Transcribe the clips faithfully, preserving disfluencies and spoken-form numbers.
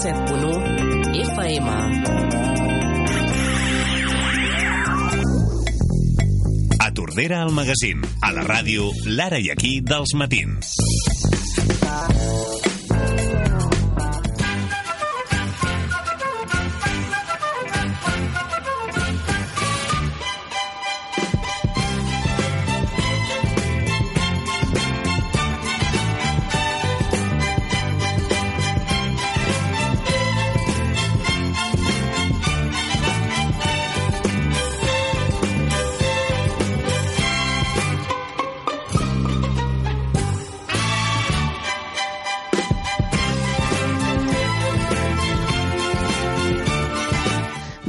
set punt u F M. A Tordera al magazín, a la ràdio L'Ara i Aquí dels matins.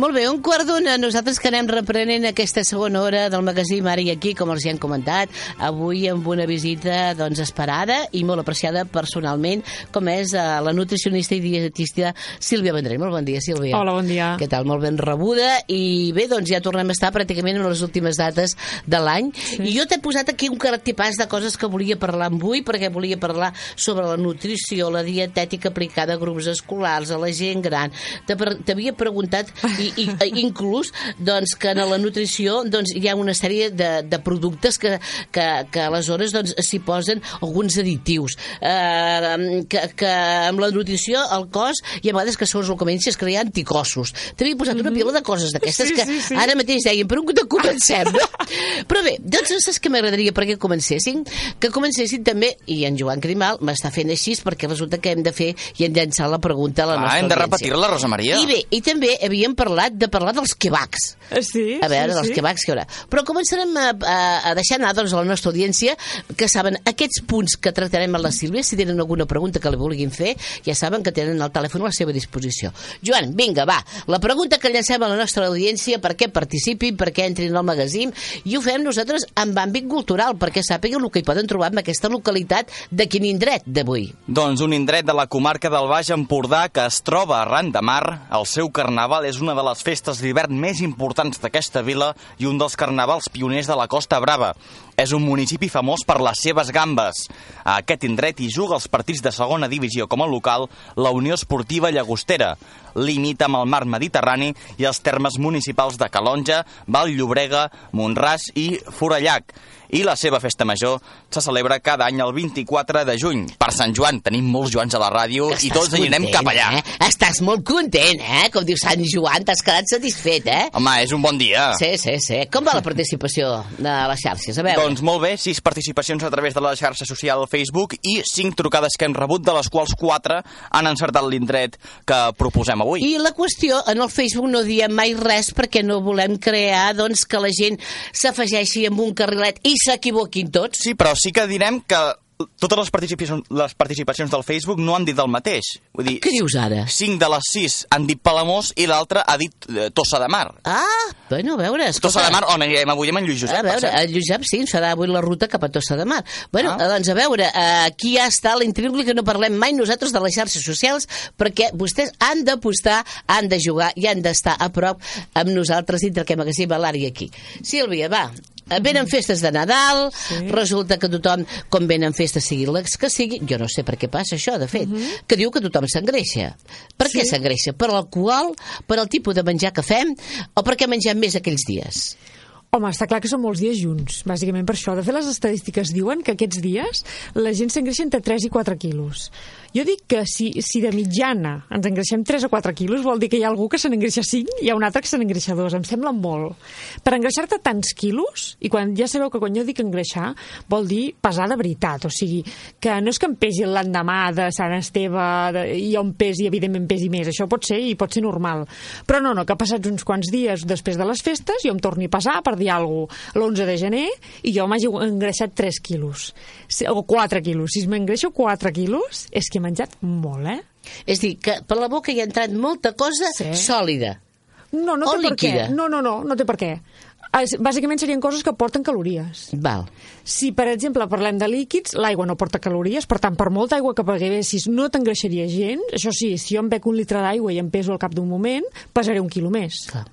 Molt bé, un quart d'una. Nosaltres que anem reprenent aquesta segona hora del magazín Ara i Aquí, com els hi han comentat, avui amb una visita doncs, esperada i molt apreciada personalment, com és uh, la nutricionista i dietista Sílvia Vendrell. Molt bon dia, Sílvia. Hola, bon dia. Què tal? Molt ben rebuda. I bé, doncs ja tornem a estar pràcticament en les últimes dates de l'any. Sí. I jo t'he posat aquí un cartipàs de coses que volia parlar avui, perquè volia parlar sobre la nutrició, la dietètica aplicada a grups escolars, a la gent gran. T'havia preguntat... I, i inclús doncs, que en la nutrició doncs, hi ha una sèrie de, de productes que, que, que aleshores doncs, s'hi posen alguns additius eh, que, que amb la nutrició el cos hi ha vegades que segons el comenci es crear anticossos. T'havia posat una pila de coses d'aquestes sí, que sí, sí. Ara mateix deien per on comencem, no? Però bé, doncs saps què m'agradaria perquè comencessin? Que comencessin també, i en Joan Crimal m'està fent així perquè resulta que hem de fer i hem llançar la pregunta a la ah, nostra hem de repetir-la, Rosa Maria. I bé, i també havíem parlat de parlar dels quebacs. Sí, a veure, sí, dels sí. quebacs que hi haurà. Però començarem a, a, a deixar anar doncs, a la nostra audiència que saben aquests punts que tractarem amb la Sílvia. Si tenen alguna pregunta que li vulguin fer, ja saben que tenen el telèfon a la seva disposició. Joan, vinga, va. La pregunta que llancem a la nostra audiència perquè participin, perquè entrin al magazín, i ho fem nosaltres amb àmbit cultural, perquè sàpiguen el que hi poden trobar en aquesta localitat de quin indret d'avui. Doncs un indret de la comarca del Baix Empordà que es troba arran de mar. El seu carnaval és una de les festes d'hivern més importants d'aquesta vila i un dels carnavals pioners de la Costa Brava. És un municipi famós per les seves gambes. A aquest indret hi juga els partits de segona divisió com a local la Unió Esportiva Llagostera. Limita amb el mar Mediterrani i els termes municipals de Calonja, Vall-llobrega, Mont-ras i Forallac. I la seva festa major se celebra cada any el vint-i-quatre de juny. Per Sant Joan tenim molts Joans a la ràdio i tots anirem cap allà. Eh? Estàs molt content, eh? Com diu Sant Joan, t'has quedat satisfet, eh? Home, és un bon dia. Sí, sí, sí. Com va la participació de les xarxes? A veure. Doncs molt bé, sis participacions a través de la xarxa social Facebook i cinc trucades que hem rebut, de les quals quatre han encertat l'indret que proposem avui. I la qüestió, en el Facebook no diem mai res perquè no volem crear doncs, que la gent s'afegeixi amb un carrilet i s'equivoquin tots. Sí, però sí que direm que totes les participacions, les participacions del Facebook no han dit el mateix. Vull dir, què dius ara? Cinc de les sis han dit Palamós i l'altre ha dit eh, Tossa de Mar. Ah, bueno, a veure... Escolta. Tossa de Mar, on anirem avui amb en Lluís Josep? A veure, en Lluís Josep sí, ens farà avui la ruta cap a Tossa de Mar. Bueno, ah. doncs a veure, aquí ja està l'intrible que no parlem mai nosaltres de les xarxes socials perquè vostès han d'apostar, han de jugar i han d'estar a prop amb nosaltres dintre aquest magazín a l'Ara i Aquí. Sílvia, va... Venen festes de Nadal, sí. Resulta que tothom, com venen festes sigui les que sigui, jo no sé per què passa això, de fet, uh-huh. que diu que tothom s'engreixa. Per sí. què s'engreixa? Per l'alcohol, per el tipus de menjar que fem o perquè mengem més aquells dies? Home, està clar que són molts dies junts, bàsicament per això. De fet, les estadístiques diuen que aquests dies la gent s'engreixa entre tres i quatre quilos. Jo dic que si, si de mitjana ens engreixem tres o quatre quilos, vol dir que hi ha algú que se n'engreixa cinc i hi ha un altre que se n'engreixa dos. Em sembla molt. Per engreixar-te tants quilos, i quan ja sabeu que quan jo dic engreixar, vol dir pesar de veritat. O sigui, que no és que em pesi l'endemà de Sant Esteve de, i jo em pesi, evidentment pesi més. Això pot ser i pot ser normal. Però no, no, que passats uns quants dies després de les festes, jo em torni a pesar per dir alguna cosa l'onze de gener i jo m'hagi engreixat tres quilos. O quatre quilos. Si m'engreixo quatre quilos, és que he menjat molt, eh? És a dir, que per la boca hi ha entrat molta cosa sí. sòlida. No, no o té líquida. Per què. No, no, no, no té per què. Bàsicament serien coses que porten calories. Val. Si, per exemple, parlem de líquids, l'aigua no porta calories, per tant, per molta aigua que beguessis no t'engreixaria gens. Això sí, si jo em bec un litre d'aigua i em peso al cap d'un moment, pesaré un quilo més. Clar.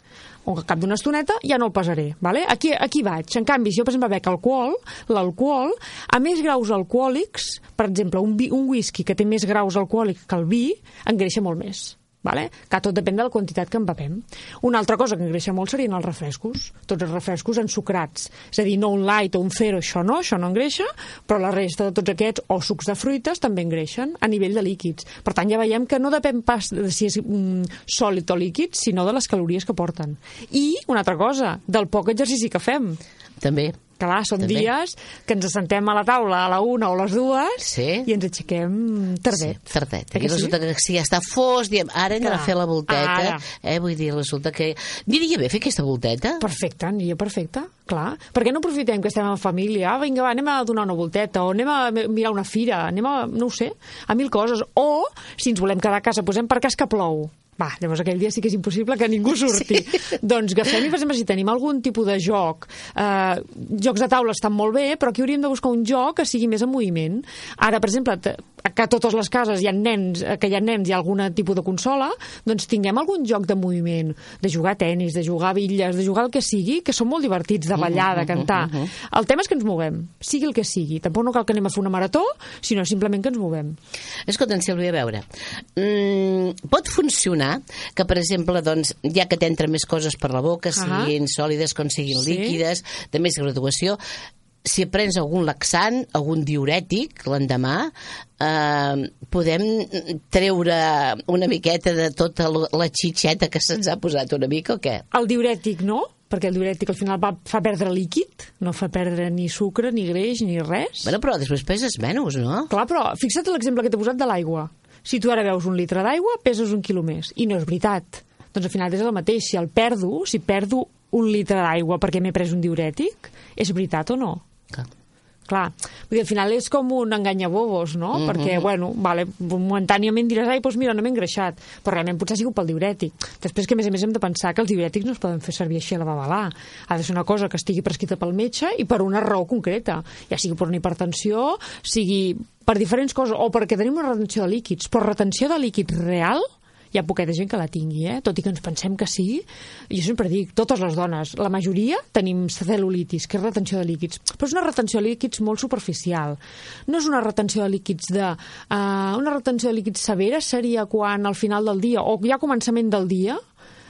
al cap d'una estoneta ja no el pesaré, vale? Aquí, aquí vaig. En canvi, si jo, per exemple, bec alcohol, l'alcohol, a més graus alcohòlics, per exemple, un, vi, un whisky que té més graus alcohòlics que el vi, engreixa molt més. Vale? Que tot depèn de la quantitat que en bevem. Una altra cosa que engreixa molt serien els refrescos. Tots els refrescos ensucrats. És a dir, no un light o un zero, això no, això no engreixa, però la resta de tots aquests, o sucs de fruites, també engreixen a nivell de líquids. Per tant, ja veiem que no depèn pas de si és mm, sòlid o líquid, sinó de les calories que porten. I, una altra cosa, del poc exercici que fem. També. Clar, són També. dies que ens assentem a la taula a la una o a les dues Sí. i ens aixequem tardet. Sí, tardet. Eh I que sí? resulta que si ja està fos, diem, ara hem d'anar a Clar. fer la volteta. Ara. Eh? Vull dir, resulta que... Aniria bé fer aquesta volteta? Perfecte, aniria perfecte, clar. Per què no aprofitem que estem en família? Ah, vinga, va, anem a donar una volteta, o anem a mirar una fira, anem a, no ho sé, a mil coses. O, si ens volem quedar a casa, posem per cas que plou. Va, llavors aquell dia sí que és impossible que ningú surti. Sí. Doncs agafem i, per exemple, si tenim algun tipus de joc, eh, jocs de taula estan molt bé, però aquí hauríem de buscar un joc que sigui més en moviment. Ara, per exemple, que a totes les cases hi ha nens, que hi ha nens i algun tipus de consola, doncs tinguem algun joc de moviment, de jugar a tenis, de jugar a bitlles, de jugar el que sigui, que són molt divertits, de ballar, de cantar. Uh, uh, uh, uh. El tema és que ens movem, sigui el que sigui. Tampoc no cal que anem a fer una marató, sinó simplement que ens movem. Escolta, Sílvia, a veure, mm, pot funcionar que, per exemple, doncs, ja que t'entren més coses per la boca, siguin uh-huh. sòlides com siguin sí. líquides, de més graduació, si prens algun laxant, algun diurètic l'endemà, eh, podem treure una miqueta de tota la xitxeta que se'ns ha posat una mica o què? El diurètic no, perquè el diurètic al final va, fa perdre líquid, no fa perdre ni sucre, ni greix, ni res. Bueno, però després peses menys, no? Clar, però fixa't l'exemple que t'he posat de l'aigua. Si tu ara veus un litre d'aigua, peses un quilo més. I no és veritat. Doncs al final és el mateix. Si el perdo, si perdo un litre d'aigua perquè m'he pres un diurètic, és veritat o no? Clar. Clar, vull dir, al final és com un enganyabobos, no? Mm-hmm. Perquè, bueno, vale, momentàniament diràs, ai, doncs mira, no m'he engreixat, però realment potser ha sigut pel diurètic. Després que, a més a més, hem de pensar que els diurètics no es poden fer servir així a la babalà. Ha de ser una cosa que estigui prescrita pel metge i per una raó concreta, ja sigui per una hipertensió, sigui per diferents coses, o perquè tenim una retenció de líquids, però retenció de líquids real, hi ha poqueta gent que la tingui, eh? Tot i que ens pensem que sí. Jo sempre dic, totes les dones, la majoria tenim cel·lulitis, que és retenció de líquids, però és una retenció de líquids molt superficial. No és una retenció de líquids de... Uh, una retenció de líquids severa seria quan al final del dia, o ja a començament del dia,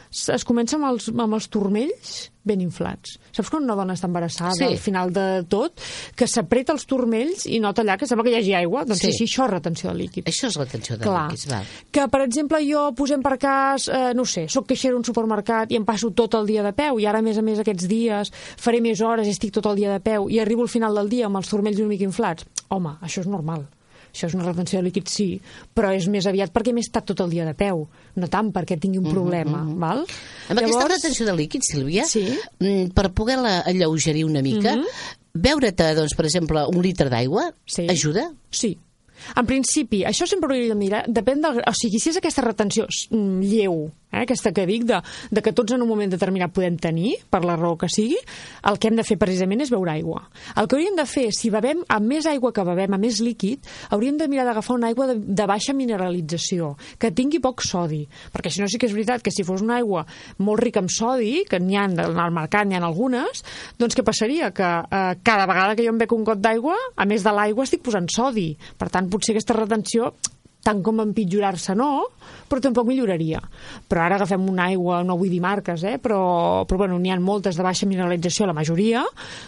es comença amb els, amb els turmells ben inflats. Saps quan una dona està embarassada sí. al final de tot, que s'apreta els turmells i nota allà que sembla que hi hagi aigua? Doncs sí, sí això és retenció de líquids. Això és retenció de Clar. líquids, val. Que, per exemple, jo posem per cas, eh, no sé, soc caixera a un supermercat i em passo tot el dia de peu i ara, a més a més, aquests dies faré més hores i estic tot el dia de peu i arribo al final del dia amb els turmells una mica inflats. Home, això és normal. Això és una retenció de líquids, sí, però és més aviat perquè m'he estat tot el dia de peu, no tant perquè tingui un problema, mm-hmm. val? Amb Llavors... aquesta retenció de líquids, Sílvia, sí. per poder-la alleugerir una mica, mm-hmm. beure-te, doncs, per exemple, un litre d'aigua, sí. ajuda? Sí. En principi, això sempre ho hauria de mirar, depèn del... O sigui, si és aquesta retenció lleu, eh, aquesta que dic, de, de que tots en un moment determinat podem tenir, per la raó que sigui, el que hem de fer precisament és beure aigua. El que hauríem de fer, si bevem amb més aigua que bevem, amb més líquid, hauríem de mirar d'agafar una aigua de, de baixa mineralització, que tingui poc sodi, perquè si no sí que és veritat que si fos una aigua molt rica en sodi, que n'hi ha al mercat, n'hi ha algunes, doncs què passaria? Que eh, cada vegada que jo em bec un got d'aigua, a més de l'aigua estic posant sodi. Per tant, potser aquesta retenció, tant com empitjorar-se no, però tampoc milloraria. Però ara agafem una aigua, no vull dir marques, eh? però, però bueno, n'hi ha moltes de baixa mineralització, la majoria,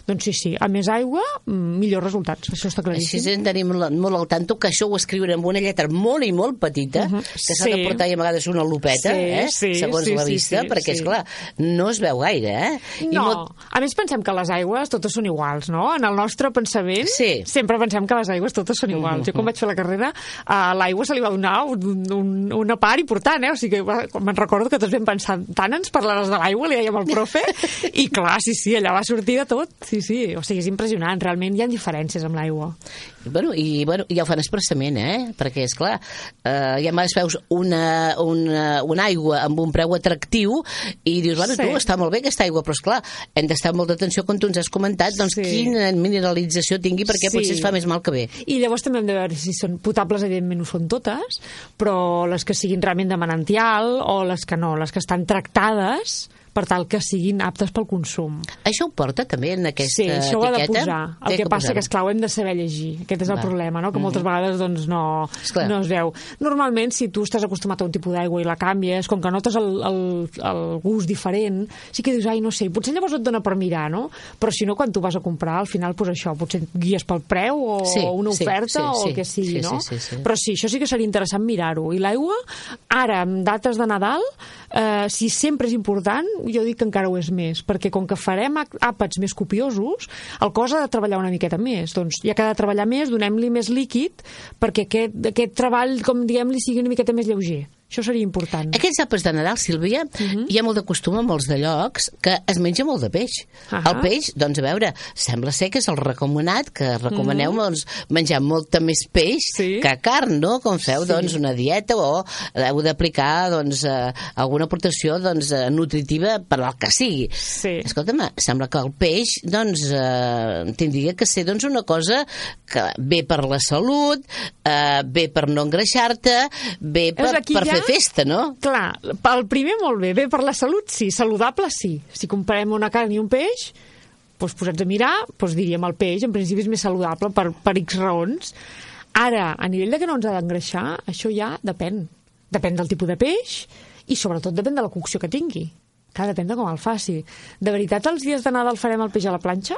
doncs sí, sí, a més aigua, millors resultats, això està claríssim. Així en tenim molt al tanto, que això ho escriuen amb una lletra molt i molt petita, uh-huh. que s'ha sí. de portar i a vegades una lupeta, sí, eh? sí, segons sí, la vista, sí, sí, perquè, sí. esclar, no es veu gaire, eh? I no, molt... a més pensem que les aigües totes són iguals, no? En el nostre pensament sí. sempre sempre pensem que les aigües totes són iguals. Uh-huh. Jo quan vaig fer la carrera, a l'aigua se li va donar un, un, una part important, eh? O sigui que me'n recordo que tots vam pensar, tant ens parlaràs de l'aigua, li dèiem al profe, i clar, sí, sí, allà va sortir de tot. Sí, sí, o sigui, és impressionant, realment hi ha diferències amb l'aigua. Bueno, i bueno, ja ho fan expressament, eh? Perquè, esclar, eh, ja més veus una, una, una aigua amb un preu atractiu i dius, bueno, sí. tu, està molt bé aquesta aigua, però esclar, hem d'estar amb molta atenció, com tu ens has comentat, doncs sí. quina mineralització tingui, perquè sí. potser es fa més mal que bé. I llavors també hem de veure si són potables, evidentment ho són totes, però les que siguin realment de manantial o les que no, les que estan tractades per tal que siguin aptes pel consum. Això ho porta també en aquesta sí, això ho ha de etiqueta? posar. El Té que, que passa que, esclar, ho hem de saber llegir. Aquest és el Va. problema, no? Que moltes Mhm. vegades doncs, no, Esclar. no es veu. Normalment, si tu estàs acostumat a un tipus d'aigua i la canvies, com que notes el, el, el gust diferent, sí que dius, ai, no sé, potser llavors et dona per mirar, no? Però si no, quan tu vas a comprar, al final, pues això, potser et guies pel preu o Sí, una sí, oferta sí, o sí. el que sigui, Sí, no? sí, sí, sí. Però sí, això sí que seria interessant mirar-ho. I l'aigua, ara, en dates de Nadal, eh, si sempre és important, jo dic que encara ho és més, perquè com que farem àpats més copiosos, el cos ha de treballar una miqueta més. Doncs ja que ha de treballar més, donem-li més líquid perquè aquest, aquest treball, com diguem-li, sigui una miqueta més lleuger. Això seria important. Aquests àpats de Nadal, Sílvia, uh -huh. hi ha molt de costum a molts de llocs que es menja molt de peix. Uh -huh. El peix, doncs a veure, sembla ser que és el recomanat, que recomaneu uh -huh. doncs, menjar molta més peix sí. que carn, no? Com feu sí. doncs, una dieta o heu d'aplicar doncs, eh, alguna aportació doncs, eh, nutritiva per al que sigui. Sí. Escolta'm, sembla que el peix doncs, eh, tindria que ser doncs, una cosa que ve per la salut, eh, ve per no engreixar-te, ve per, per fer festa, no? Clar, el primer molt bé, bé per la salut, sí, saludable sí. Si comparem una carn i un peix, doncs posats a mirar, doncs diríem el peix, en principi és més saludable per, per X raons. Ara, a nivell de que no ens ha d'engreixar, això ja depèn. Depèn del tipus de peix i sobretot depèn de la cocció que tingui. Clar, depèn de com el faci. De veritat, els dies de Nadal farem el peix a la planxa?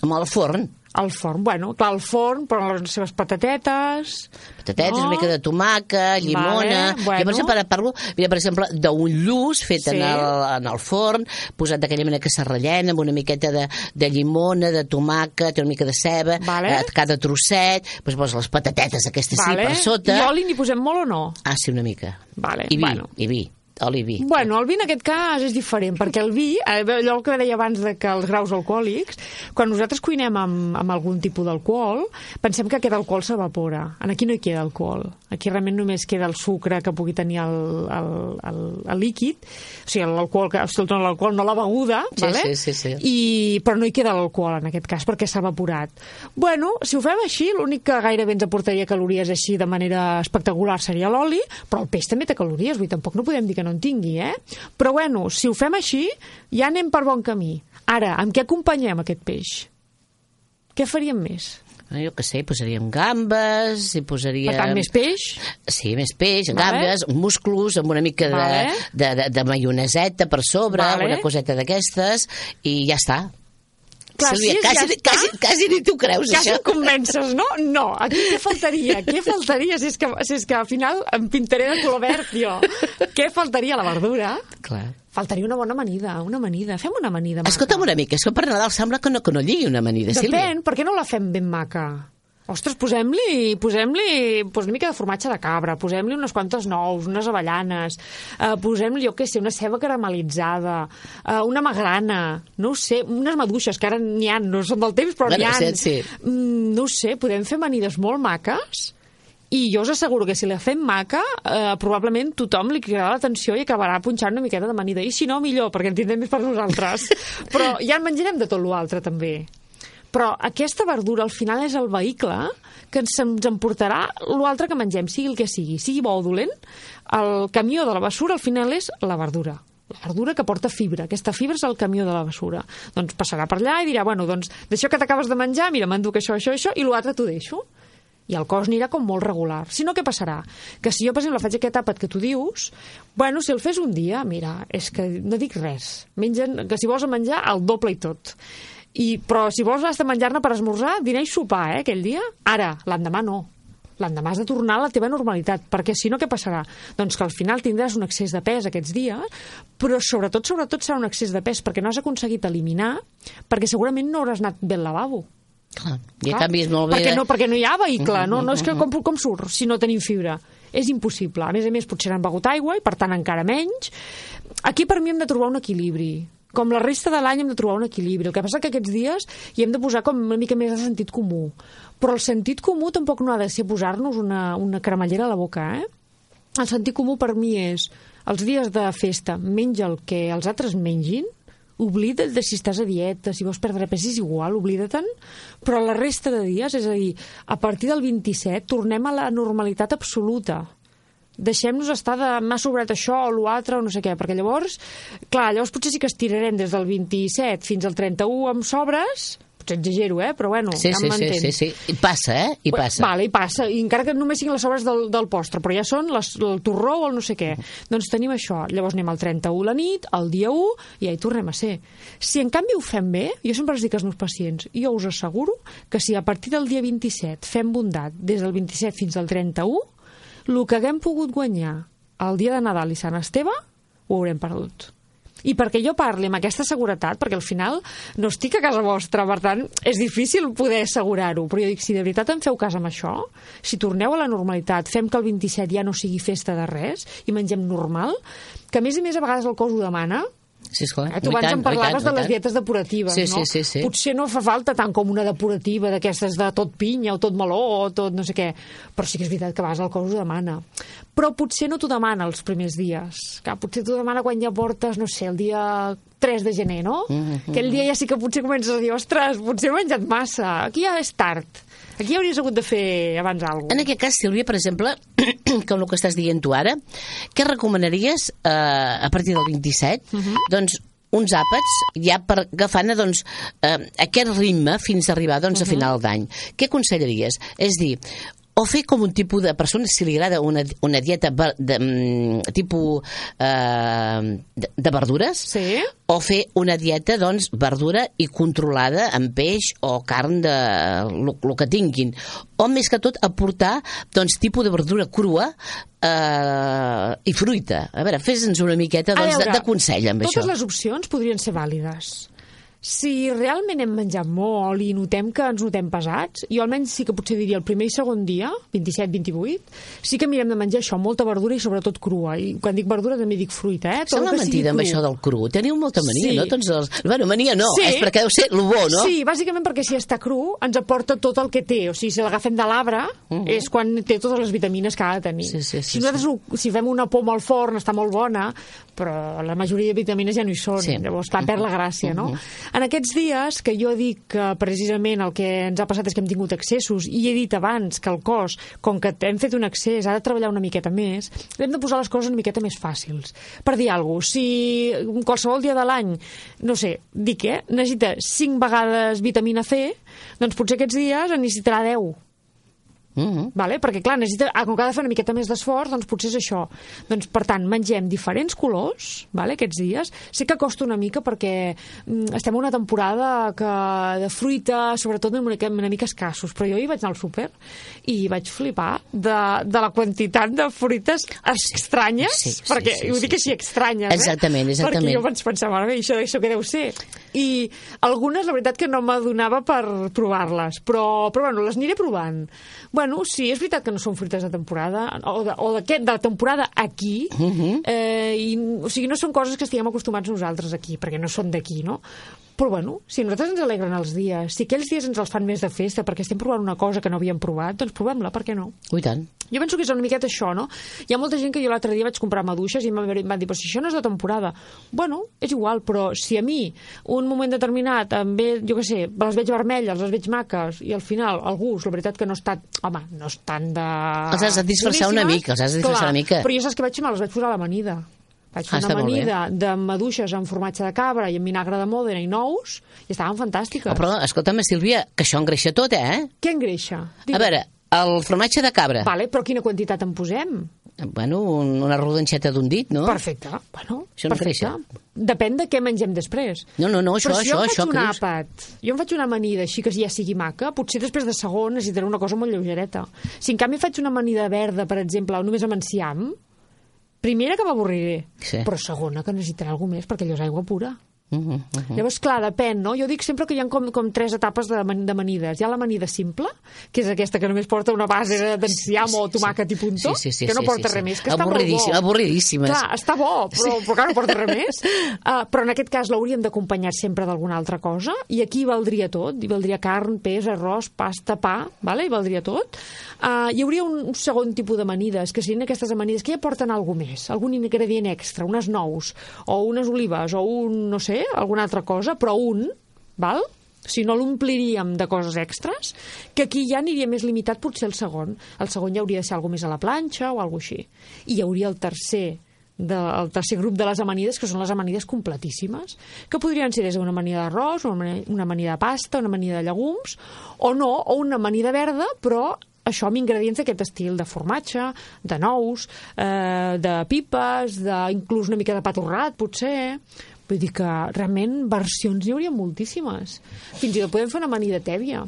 Amb el forn. Al forn, bueno, clar, al forn, però les seves patatetes... Patatetes, no? una mica de tomàquet, llimona... Vale, bueno. Jo, per exemple, parlo, mira, per exemple, d'un lluç fet sí. en, el, en el forn, posat d'aquella manera que se rellena, amb una miqueta de, de llimona, de tomàquet, una mica de ceba, vale. eh, cada trosset, doncs poses les patatetes aquestes vale. sí per sota... I oli n'hi posem molt o no? Ah, sí, una mica. Vale. I vi, bueno. i vi. Oli i vi. Bueno, el vi en aquest cas és diferent, perquè el vi, allò que deia abans de que els graus alcohòlics, quan nosaltres cuinem amb, amb algun tipus d'alcohol, pensem que aquest alcohol s'evapora. Aquí no hi queda alcohol. Aquí realment només queda el sucre que pugui tenir el, el, el, el líquid, o sigui, l'alcohol, no l'alcohol, no la beguda, sí, vale? sí, sí, sí. I, però no hi queda l'alcohol en aquest cas, perquè s'ha evaporat. Bueno, si ho fem així, l'únic que gairebé ens aportaria calories així de manera espectacular seria l'oli, però el peix també té calories, vull dir, tampoc no podem dir que no en tingui, eh? Però bueno, si ho fem així, ja anem per bon camí. Ara, amb què acompanyem aquest peix? Què faríem més? Jo què sé, posaríem gambes, hi posaríem... Per tant, més peix? Sí, més peix, vale. gambes, musclos, amb una mica vale. de, de, de, de maioneseta per sobre, vale. una coseta d'aquestes, i ja està. Clar, Sílvia, sí, quasi, ja quasi, quasi ni t'ho creus, quasi això. em convences, no? No, aquí què faltaria? Què faltaria si és que, si és que al final em pintaré de color verd, jo? Què faltaria? La verdura? Clar. Faltaria una bona amanida, una amanida. Fem una amanida maca. Escolta'm una mica, és que per Nadal sembla que no, que no lligui una amanida, Sílvia. Depèn, per què no la fem ben maca? Ostres, posem-li posem-li pues, una mica de formatge de cabra, posem-li unes quantes nous, unes avellanes, eh, posem-li, jo què sé, una ceba caramelitzada, eh, una magrana, no ho sé, unes maduixes, que ara n'hi ha, no són del temps, però bueno, n'hi ha. Sí, sí. Mm, no ho sé, podem fer amanides molt maques i jo us asseguro que si la fem maca, eh, probablement tothom li cridarà l'atenció i acabarà punxant una miqueta d'amanida. I si no, millor, perquè en tindrem més per nosaltres. Però ja en menjarem de tot l'altre, també. Però aquesta verdura al final és el vehicle que ens, ens emportarà l'altre que mengem, sigui el que sigui, sigui bo o dolent, el camió de la bessura al final és la verdura. La verdura que porta fibra. Aquesta fibra és el camió de la bessura. Doncs passarà per allà i dirà, bueno, doncs d'això que t'acabes de menjar, mira, m'enduc això, això, això, i l'altre t'ho deixo. I el cos anirà com molt regular. Si no, què passarà? Que si jo, per exemple, faig aquest àpat que tu dius, bueno, si el fes un dia, mira, és que no dic res. Mengen, que si vols menjar, el doble i tot. I, però si vols has de menjar-ne per esmorzar, dinar i sopar, eh, aquell dia. Ara, l'endemà no. L'endemà has de tornar a la teva normalitat, perquè si no, què passarà? Doncs que al final tindràs un excés de pes aquests dies, però sobretot, sobretot serà un excés de pes perquè no has aconseguit eliminar, perquè segurament no hauràs anat bé al lavabo. Clar, i a canvi és molt bé... Perquè no, perquè no hi ha vehicle, no, no és que com, com surt si no tenim fibra? És impossible. A més a més, potser han begut aigua i, per tant, encara menys. Aquí, per mi, hem de trobar un equilibri. Com la resta de l'any hem de trobar un equilibri. El que passa que aquests dies hi hem de posar com una mica més de sentit comú. Però el sentit comú tampoc no ha de ser posar-nos una, una cremallera a la boca, eh? El sentit comú per mi és els dies de festa menja el que els altres mengin, oblida't de si estàs a dieta, si vols perdre pes és igual, oblida-te'n, però la resta de dies, és a dir, a partir del vint-i-set tornem a la normalitat absoluta. deixem-nos estar de m'ha sobrat això o l'altre o no sé què, perquè llavors, clar, llavors potser sí que estirarem des del vint-i-set fins al trenta-u amb sobres, potser exagero, eh? Però bueno, sí, ja sí, m'entens. sí, sí, sí. I passa, eh? I passa. Vale, i passa. I encara que només siguin les sobres del, del postre, però ja són les, el torró o el no sé què. Doncs tenim això. Llavors anem al trenta-u la nit, al dia u, i ja hi tornem a ser. Si en canvi ho fem bé, jo sempre els dic als meus pacients, jo us asseguro que si a partir del dia vint-i-set fem bondat des del vint-i-set fins al trenta-u, el que haguem pogut guanyar el dia de Nadal i Sant Esteve, ho haurem perdut. I perquè jo parli amb aquesta seguretat, perquè al final no estic a casa vostra, per tant, és difícil poder assegurar-ho, però jo dic, si de veritat em feu cas amb això, si torneu a la normalitat, fem que el vint-i-set ja no sigui festa de res i mengem normal, que a més i més a vegades el cos ho demana. Sí, esclar. Eh, tu abans em parlaves de les dietes depuratives, sí, no? Sí, sí, sí. Potser no fa falta tant com una depurativa d'aquestes de tot pinya o tot meló o tot no sé què, però sí que és veritat que a vegades el cos ho demana. Però potser no t'ho demana els primers dies. Clar, potser t'ho demana quan ja portes, no sé, el dia tres de gener, no? Mm-hmm. Aquell dia ja sí que potser comences a dir, ostres, potser he menjat massa, aquí ja és tard. Aquí hauries hagut de fer abans alguna cosa. En aquest cas, Sílvia, per exemple, com el que estàs dient tu ara, què recomanaries eh, a partir del vint-i-set? Uh-huh. Doncs uns àpats ja per agafant doncs, eh, aquest ritme fins a arribar doncs, uh-huh. a final d'any. Què aconsellaries? És dir, o fer com un tipus de persona, si li agrada una, una dieta de, de, de tipus eh, de, de verdures, sí. O fer una dieta, doncs, verdura i controlada amb peix o carn de el que tinguin. O, més que tot, aportar, doncs, tipus de verdura crua eh, i fruita. A veure, fes-nos una miqueta doncs, veure, de, de consell amb totes això. Totes les opcions podrien ser vàlides. Si realment hem menjat molt i notem que ens notem pesats, jo almenys sí que potser diria el primer i segon dia, vint-i-set vint-i-vuit, sí que mirem de menjar això, molta verdura i sobretot crua. I quan dic verdura també dic fruita, eh? Sembla mentida amb això del cru. Teniu molta mania, sí. no? Tots els... Bueno, mania no, sí. És perquè deu ser el bo, no? Sí, bàsicament perquè si està cru ens aporta tot el que té. O sigui, si l'agafem de l'arbre uh-huh. és quan té totes les vitamines que ha de tenir. Sí, sí, sí, si nosaltres sí. si fem una poma al forn està molt bona, però la majoria de vitamines ja no hi són. Sí. Llavors, clar, perd la gràcia, no? Uh-huh. En aquests dies que jo dic que precisament el que ens ha passat és que hem tingut excessos i he dit abans que el cos, com que hem fet un excés, ha de treballar una miqueta més, hem de posar les coses una miqueta més fàcils. Per dir alguna cosa, si qualsevol dia de l'any, no sé, dic, eh, necessita cinc vegades vitamina C, doncs potser aquests dies en necessitarà deu. Mm-hmm. Vale? Perquè clar, necessita, com que ha de fer una miqueta més d'esforç, doncs potser és això. Doncs per tant, mengem diferents colors, vale, aquests dies. Sé que costa una mica perquè mm, estem en una temporada que de fruita, sobretot una mica, una mica escassos, però jo hi vaig anar al súper i vaig flipar de, de la quantitat de fruites estranyes, sí, sí, perquè sí, sí, ho dic així, estranyes, exactament, eh? exactament. Perquè jo vaig pensar, mare meva, això, això què deu ser? I algunes, la veritat, que no m'adonava per provar-les, però, però bueno, les aniré provant. Bueno, sí, és veritat que no són fruites de temporada, o de, o de, de la temporada aquí, uh-huh. eh, i, o sigui, no són coses que estiguem acostumats nosaltres aquí, perquè no són d'aquí, no? Però bueno, si a nosaltres ens alegren els dies, si aquells dies ens els fan més de festa perquè estem provant una cosa que no havíem provat, doncs provem-la, per què no? Ui, tant. Jo penso que és una miqueta això, no? Hi ha molta gent que jo l'altre dia vaig comprar maduixes i em van dir, però si això no és de temporada. Bueno, és igual, però si a mi un moment determinat em ve, jo què sé, les veig vermelles, les veig maques, i al final el gust, la veritat que no està, home, no és tan de... Els has de disfressar una mica, els has de disfressar una mica. Però jo saps què vaig fer? Me les vaig posar a l'amanida. Vaig fer ah, una amanida de maduixes amb formatge de cabra i amb vinagre de Mòdena i nous, i estaven fantàstiques. Oh, però, escolta'm, Sílvia, que això engreixa tot, eh? Què engreixa? Digue. A veure, el formatge de cabra. Vale, però quina quantitat en posem? Bueno, una rodanxeta d'un dit, no? Perfecte. Bueno, això no perfecte. Depèn de què mengem després. No, no, no, això, però si això, jo això. faig un àpat, jo em faig una amanida així que ja sigui maca, potser després de segon necessitaré una cosa molt lleugereta. Si en canvi faig una amanida verda, per exemple, o només amb enciam, primera que m'avorriré, sí. Però segona que necessitarà alguna més perquè allò és aigua pura. Uh -huh, uh -huh. Llavors, clar, depèn, no? Jo dic sempre que hi ha com, com tres etapes de, d'amanides. Hi ha l'amanida simple, que és aquesta que només porta una base d'enciam sí, sí, o tomàquet i puntó, sí, sí, sí, que no porta sí, sí, res més, que està molt bo. Avorridíssimes. Clar, està bo, però, sí. però clar, no porta res més. Uh, però en aquest cas l'hauríem d'acompanyar sempre d'alguna altra cosa, i aquí valdria tot. Hi valdria carn, peix, arròs, pasta, pa, vale? Hi valdria tot. Uh, hi hauria un segon tipus d'amanides, que serien aquestes amanides que ja porten alguna més, algun ingredient extra, unes nous, o unes olives, o un, no sé, alguna altra cosa, però un, val? si no l'ompliríem de coses extres, que aquí ja aniria més limitat potser el segon. El segon ja hauria de ser alguna més a la planxa o alguna així. I hi hauria el tercer, de, el tercer grup de les amanides, que són les amanides completíssimes, que podrien ser des d'una amanida d'arròs, una, una amanida de pasta, una amanida de llegums, o no, o una amanida verda, però això amb ingredients d'aquest estil, de formatge, de nous, eh, de pipes, de, inclús una mica de pa torrat, potser. Vull dir que realment versions n'hi hauria moltíssimes. Fins i tot podem fer una amanida tèbia.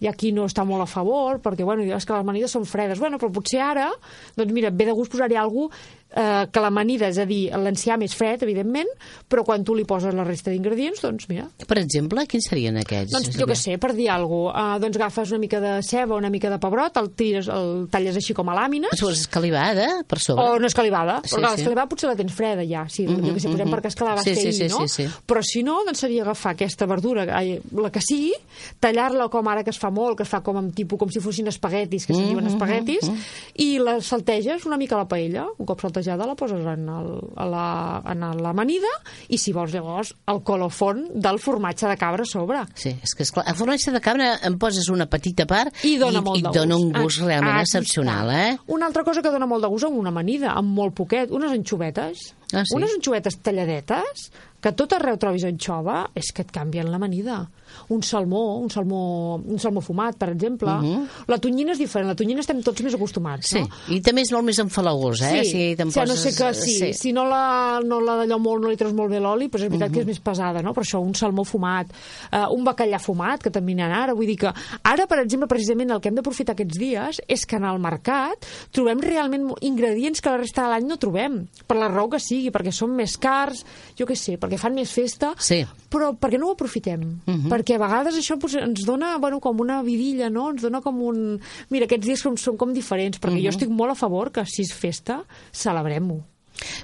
I aquí no està molt a favor, perquè, bueno, és que les amanides són fredes. Bueno, però potser ara, doncs mira, ve de gust posar-hi alguna cosa eh, que l'amanida, és a dir, l'enciam és fred, evidentment, però quan tu li poses la resta d'ingredients, doncs mira. Per exemple, quins serien aquests? Doncs jo què sé, per dir alguna cosa, eh, doncs agafes una mica de ceba, una mica de pebrot, el, tires, el talles així com a làmines. O escalivada, per sobre. O no escalivada, sí, perquè sí. l'escalivada potser la tens freda ja, sí, uh -huh, jo què sé, posem uh -huh. per cascar la vas sí, fer sí, ahir, sí, no? Sí, sí. Però si no, doncs seria agafar aquesta verdura, la que sigui, tallar-la com ara que es fa molt, que es fa com amb tipus, com si fossin espaguetis, que se'n diuen espaguetis, uh -huh. i la salteges una mica a la paella, un cop saltejada la poses en, el, a la, en l'amanida, i si vols llavors el colofon del formatge de cabra a sobre. Sí, és que esclar, el formatge de cabra em poses una petita part i dona, i, molt i de dona un gust. gust Ah, realment aquí excepcional, està. eh? Una altra cosa que dona molt de gust amb una amanida, amb molt poquet, unes anxovetes. Ah, sí? Unes anxovetes talladetes, que a tot arreu trobis anxova, és que et canvien l'amanida. Un salmó, un salmó, un salmó fumat, per exemple. Uh -huh. La tonyina és diferent, la tonyina estem tots més acostumats, sí. no? I també és molt més enfalagós, eh? Sí, si te'n o sigui, no poses... sé que sí, sí. Si no la, no la d'allò molt, no li treus molt bé l'oli, però és veritat uh -huh. que és més pesada, no? Per això un salmó fumat, uh, un bacallà fumat, que també n'hi ha ara, vull dir que ara, per exemple, precisament el que hem d'aprofitar aquests dies és que en el mercat trobem realment ingredients que la resta de l'any no trobem, per la raó que sigui, perquè són més cars, jo què sé, perquè fan més festa, sí. però perquè no ho aprofitem? Uh -huh. Perquè a vegades això pues, ens dona, bueno, com una vidilla, no? Ens dona com un... Mira, aquests dies són, són com diferents, perquè uh -huh. jo estic molt a favor que si és festa, celebrem-ho.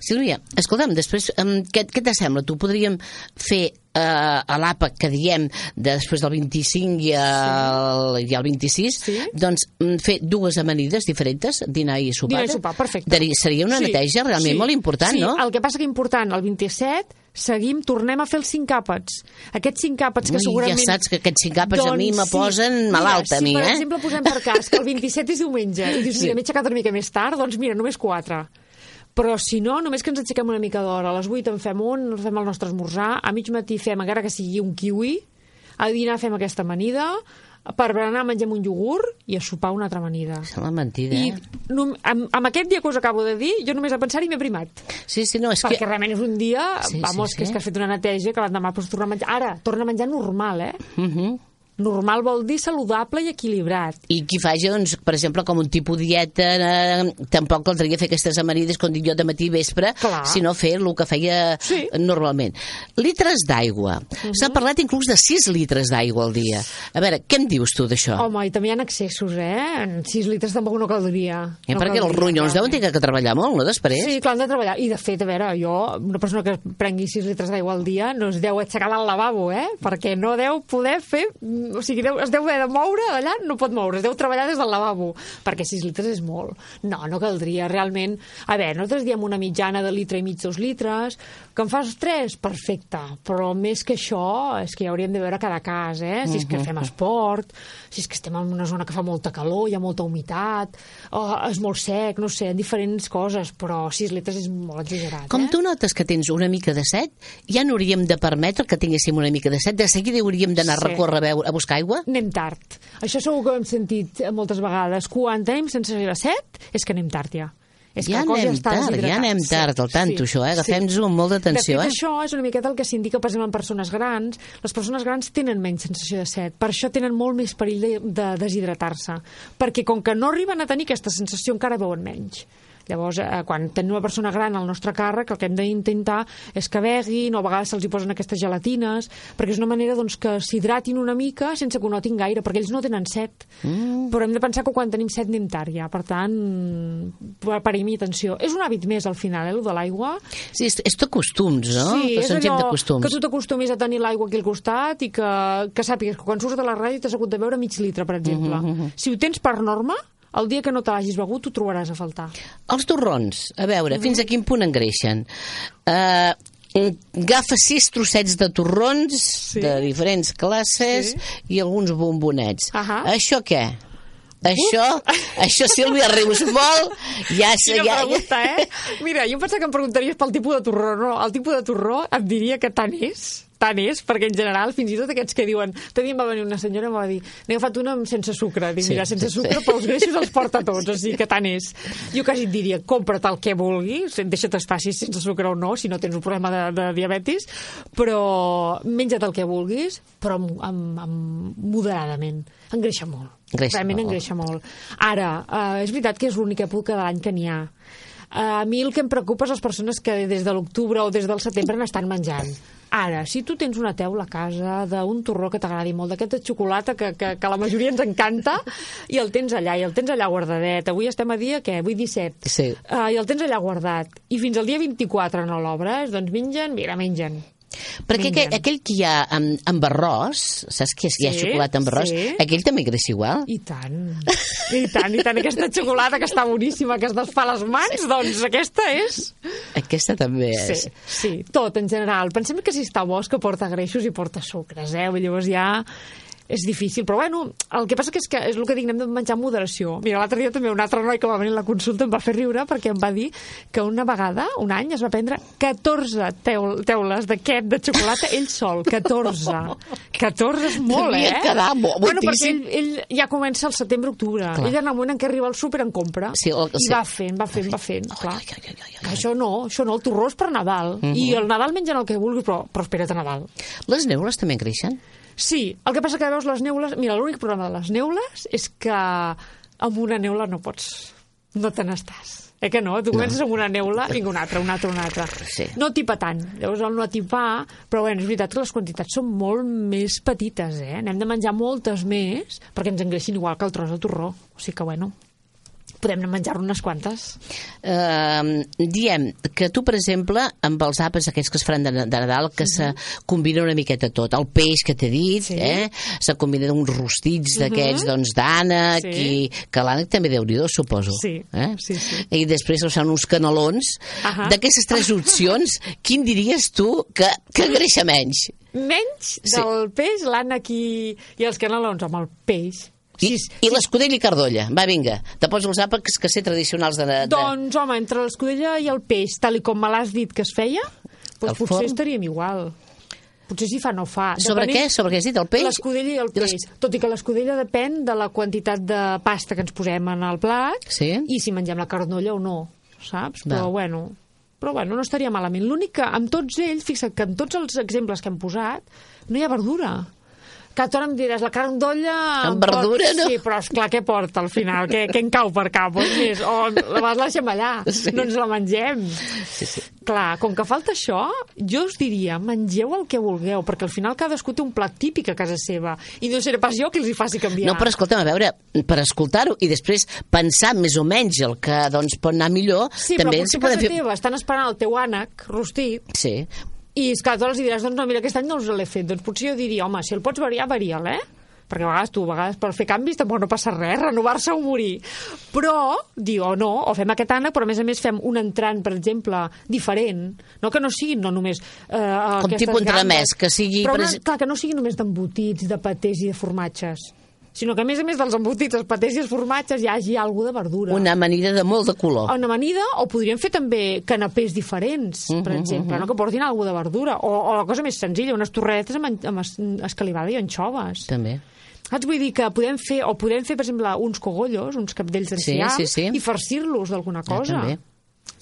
Sílvia, escolta'm, després, um, què, què t'assembla? Tu podríem fer uh, a l'àpat que diem de després del vint-i-cinc i el, sí. i el vint-i-sis, sí. doncs fer dues amanides diferents, dinar i sopar. Dinar i sopar, perfecte. Dari, seria una sí. neteja realment sí. molt important, sí. no? El que passa que important, el vint-i-set seguim, tornem a fer els cinc àpats. Aquests cinc àpats que Ui, segurament... Ja saps que aquests cinc àpats doncs, a mi me posen sí. malalta, mira, a mi, si, eh? per exemple, posem per cas que el vint-i-set és diumenge i dius, sí. mira, m'he aixecat una mica més tard, doncs mira, només quatre. Però si no, només que ens aixequem una mica d'hora, a les vuit en fem un, fem el nostre esmorzar, a mig matí fem, encara que sigui un kiwi, a dinar fem aquesta amanida, per berenar mengem un iogurt i a sopar una altra amanida. És una mentida, I eh? no, amb, amb aquest dia que us acabo de dir, jo només a pensar-hi m'he primat. Sí, sí, no, és Perquè que... realment és un dia, sí, vamos, sí, sí. que és que has fet una neteja, que l'endemà pots tornar a menjar. Ara, torna a menjar normal, eh? Uh -huh. Normal vol dir saludable i equilibrat. I qui faci, doncs, per exemple, com un tipus dieta, eh, tampoc caldria fer aquestes amanides, com dic jo, de matí i vespre, Clar. sinó fer el que feia sí. normalment. Litres d'aigua. Uh -huh. S'ha parlat inclús de sis litres d'aigua al dia. A veure, què em dius tu d'això? Home, i també hi ha excessos, eh? En sis litres tampoc no caldria. Eh, no perquè caldria, els ronyons deuen tenir que treballar molt, no, després? Sí, clar, han de treballar. I, de fet, a veure, jo, una persona que prengui sis litres d'aigua al dia, no es deu aixecar al lavabo, eh? Perquè no deu poder fer... O sigui, deu, es deu haver de moure d'allà, no pot moure, es deu treballar des del lavabo, perquè sis litres és molt. No, no caldria, realment. A veure, nosaltres diem una mitjana de litre i mig, dos litres, que en fas tres, perfecte, però més que això, és que ja hauríem de veure cada cas, eh? Si és que fem esport, si és que estem en una zona que fa molta calor, hi ha molta humitat, oh, és molt sec, no sé, diferents coses, però sis litres és molt exagerat, Com eh? tu notes que tens una mica de set, ja no hauríem de permetre que tinguéssim una mica de set, de seguida hauríem d'anar Sí. a recórrer a, veure, a buscar aigua? Anem tard. Això segur que ho hem sentit moltes vegades. Quan tenim sensació de set, és que anem tard ja. És Ja que el cos anem està tard, deshidratat. ja anem tard, al tanto, això, eh? Agafem-nos-ho amb molta atenció, de fet, eh? això és una miqueta el que s'indica, per exemple, en persones grans. Les persones grans tenen menys sensació de set, per això tenen molt més perill de, de deshidratar-se, perquè com que no arriben a tenir aquesta sensació, encara beuen menys. Llavors, eh, quan tenim una persona gran al nostre càrrec, el que hem d'intentar és que beguin, o a vegades se'ls hi posen aquestes gelatines, perquè és una manera doncs, que s'hidratin una mica sense que ho notin gaire, perquè ells no tenen set. Mm. Però hem de pensar que quan tenim set anem tard ja, per tant, parim-hi atenció. És un hàbit més al final, eh, el de l'aigua. Sí, és, és de costums, no? Sí, és Són gent de allò costums. que tu t'acostumis a tenir l'aigua aquí al costat i que, que sàpigues que quan surts de la ràdio t'has hagut de beure mig litre, per exemple. Uh -huh. Si ho tens per norma, el dia que no te l'hagis begut t'ho trobaràs a faltar. Els torrons, a veure, uh -huh. fins a quin punt engreixen? Uh, agafa sis trossets de torrons Sí. de diferents classes Sí. i alguns bombonets. Ahà. Això què? Això, això, Sílvia, rius molt. Ja, Quina ja, pregunta, eh? Mira, jo em pensava que em preguntaries pel tipus de torró. No, el tipus de torró et diria que tant és, tant és, perquè en general, fins i tot aquests que diuen... Tot dia em va venir una senyora i em va dir n'he agafat una amb sense sucre. Dic, Sí, mira, sense sí, sucre, sí. però els greixos els porta tots, o sigui que tant és. Jo quasi et diria, compra't el que vulguis, deixa't es faci sense sucre o no, si no tens un problema de, de diabetis, però menja't el que vulguis, però amb, amb, amb moderadament. Engreixa molt. Engreixa Realment molt. engreixa molt. Ara, eh, és veritat que és l'única època de l'any que n'hi ha. A mi el que em preocupa és les persones que des de l'octubre o des del setembre n'estan menjant. Ara, si tu tens una teula a casa d'un torró que t'agradi molt, d'aquest de xocolata que, que, que a la majoria ens encanta, i el tens allà, i el tens allà guardadet. Avui estem a dia, què? Avui disset. Sí. Uh, I el tens allà guardat. I fins al dia vint-i-quatre no l'obres, doncs mengen, mira, mengen. Perquè aquell, Mengen. aquell que hi ha amb, amb arròs, saps que hi ha Sí, xocolata amb arròs? sí. Aquell també engreixa igual? I tant, i tant, i tant. Aquesta xocolata que està boníssima, que es desfà les mans, doncs aquesta és... Aquesta també és. Sí, sí, tot en general. Pensem que si està bo és que porta greixos i porta sucres, eh? Llavors ja és difícil, però bueno, el que passa que és que és el que dic, n'hem de menjar amb moderació. Mira, l'altre dia també un altre noi que va venir a la consulta em va fer riure perquè em va dir que una vegada, un any, es va prendre catorze teul teules d'aquest de xocolata ell sol, catorze. catorze és molt, Devia eh? quedar mo- bueno, perquè moltíssim. ell, ell ja comença al setembre-octubre. Ell en el moment en què arriba al súper en compra. Sí, el- I sí. va fent, va fent, va fent, clar. Ai, ai, ai, ai, ai. Que això no, això no, el torró és per Nadal. Mhm. I el Nadal mengen el que vulguis, però, però espera't a Nadal. Les neules també engreixen? Sí, el que passa que veus les neules... Mira, l'únic problema de les neules és que amb una neula no pots... No te n'estàs. Eh que no? Tu comences amb una neula, vinga, una altra, una altra, una altra. Sí. No tipa tant. Llavors, el no tipar... Però, bueno, és veritat que les quantitats són molt més petites, eh? N'hem de menjar moltes més perquè ens engreixin igual que el tros de torró. O sigui que, bueno, podem menjar-ne unes quantes. Uh, diem que tu, per exemple, amb els àpats aquests que es faran de, de Nadal, que se combina una miqueta tot. El peix que t'he dit, Sí. eh? Se combina uns rostits d'aquests, doncs, d'ànec, Sí. i que l'ànec també déu-n'hi-do, suposo. Sí, Eh? sí, sí. I després es fan uns canelons. Ahà. D'aquestes tres opcions, quin diries tu que, que engreixa menys? Menys Sí. del peix, l'ànec i, i els canelons amb el peix. I, Sí, i l'escudella i cardolla. Va, vinga, te pots els àpats que sé tradicionals de... de... Doncs, home, entre l'escudella i el peix, tal i com me l'has dit que es feia, doncs El potser forn? estaríem igual. Potser si fa no fa. Sobre Depenent- què? Sobre què has dit? El peix? L'escudella i el I les- peix. Tot i que l'escudella depèn de la quantitat de pasta que ens posem en el plat Sí. i si mengem la carnolla o no, saps? Va. Però bueno, però bueno, no estaria malament. L'únic que amb tots ells, fixa't que en tots els exemples que hem posat no hi ha verdura. Que tu ara em diràs, la carn d'olla... Amb verdura, no? Sí, però esclar, què porta al final? Què, què en cau per cap? O, més? o la vas deixem allà, Sí. no ens la mengem. Sí, sí. Clar, com que falta això, jo us diria, mengeu el que vulgueu, perquè al final cadascú té un plat típic a casa seva, i no seré pas jo qui els hi faci canviar. No, però escolta'm, a veure, per escoltar-ho i després pensar més o menys el que doncs, pot anar millor, Sí, també però ens potser a podem casa teva estan esperant el teu ànec rostit, Sí. i és que tu els diràs, doncs no, mira, aquest any no us l'he fet. Doncs potser jo diria, home, si el pots variar, varia'l, eh? Perquè a vegades tu, a vegades per fer canvis tampoc no passa res, renovar-se o morir. Però, diu, o no, o fem aquest ànec, però a més a més fem un entrant, per exemple, diferent, no que no siguin no només eh, Com aquestes tipus entremès, gambes, que sigui, Però per una, ex- clar, que no sigui només d'embotits, de patés i de formatges, sinó que a més a més dels embotits, els patés i els formatges hi hagi alguna de verdura. Una amanida de molt de color. Una amanida, o podríem fer també canapés diferents, per Mhm, exemple, no? Que portin alguna de verdura. O, o la cosa més senzilla, unes torretes amb, en- amb es- escalivada i anxoves. També. Saps? Vull dir que podem fer, o podem fer, per exemple, uns cogollos, uns capdells d'enciam, Sí, sí, sí. i farcir-los d'alguna Ah, cosa. també.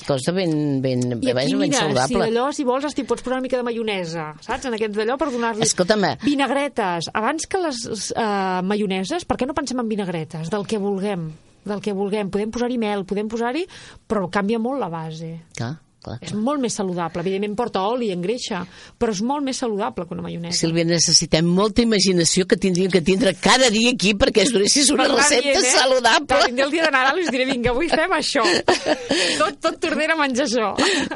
Cosa ben, ben, I ben, aquí, ben mira, si saludable. d'allò, si vols, estic, pots posar una mica de maionesa, saps? En aquests d'allò per donar-li... Escolta'm. Vinagretes. Abans que les uh, maioneses, per què no pensem en vinagretes? Del que vulguem. Del que vulguem. Podem posar-hi mel, podem posar-hi... Però canvia molt la base. Clar, clar. És molt més saludable. Evidentment porta oli, engreixa, però és molt més saludable que una maionesa. Sílvia, necessitem molta imaginació que tindríem que tindre cada dia aquí perquè es donessis una Per anar recepta dient, eh? saludable. Quan vindré el dia de Nadal us diré, vinga, avui fem això. Tot, tot Tordera menja això.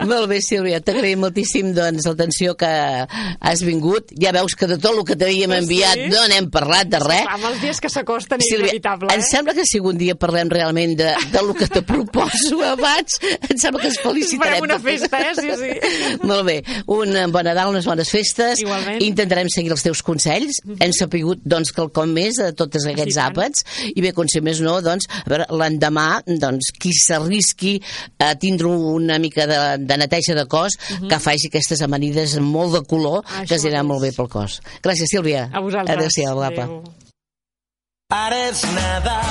Molt bé, Sílvia, t'agraïm moltíssim doncs, l'atenció que has vingut. Ja veus que de tot el que t'havíem Sí. enviat no n'hem parlat de res. Clar, amb els dies que s'acosten és Sílvia, inevitable, em eh? sembla que si algun dia parlem realment de, de lo que te proposo abans, em sembla que ens felicitarem Bona festa, eh? Sí, sí. Molt bé. Un bon Nadal, unes bones festes. Igualment. Intentarem seguir els teus consells. Mm -hmm. Hem sapigut, doncs, quelcom més de tots aquests Sí, àpats. I bé, com si més no, doncs, a veure, l'endemà, doncs, qui s'arrisqui a tindre una mica de, de neteja de cos, mm -hmm. que faci aquestes amanides molt de color, Això que es anirà mateix. molt bé pel cos. Gràcies, Sílvia. A vosaltres. Adéu-siau, guapa. Adéu. Ara és Nadal.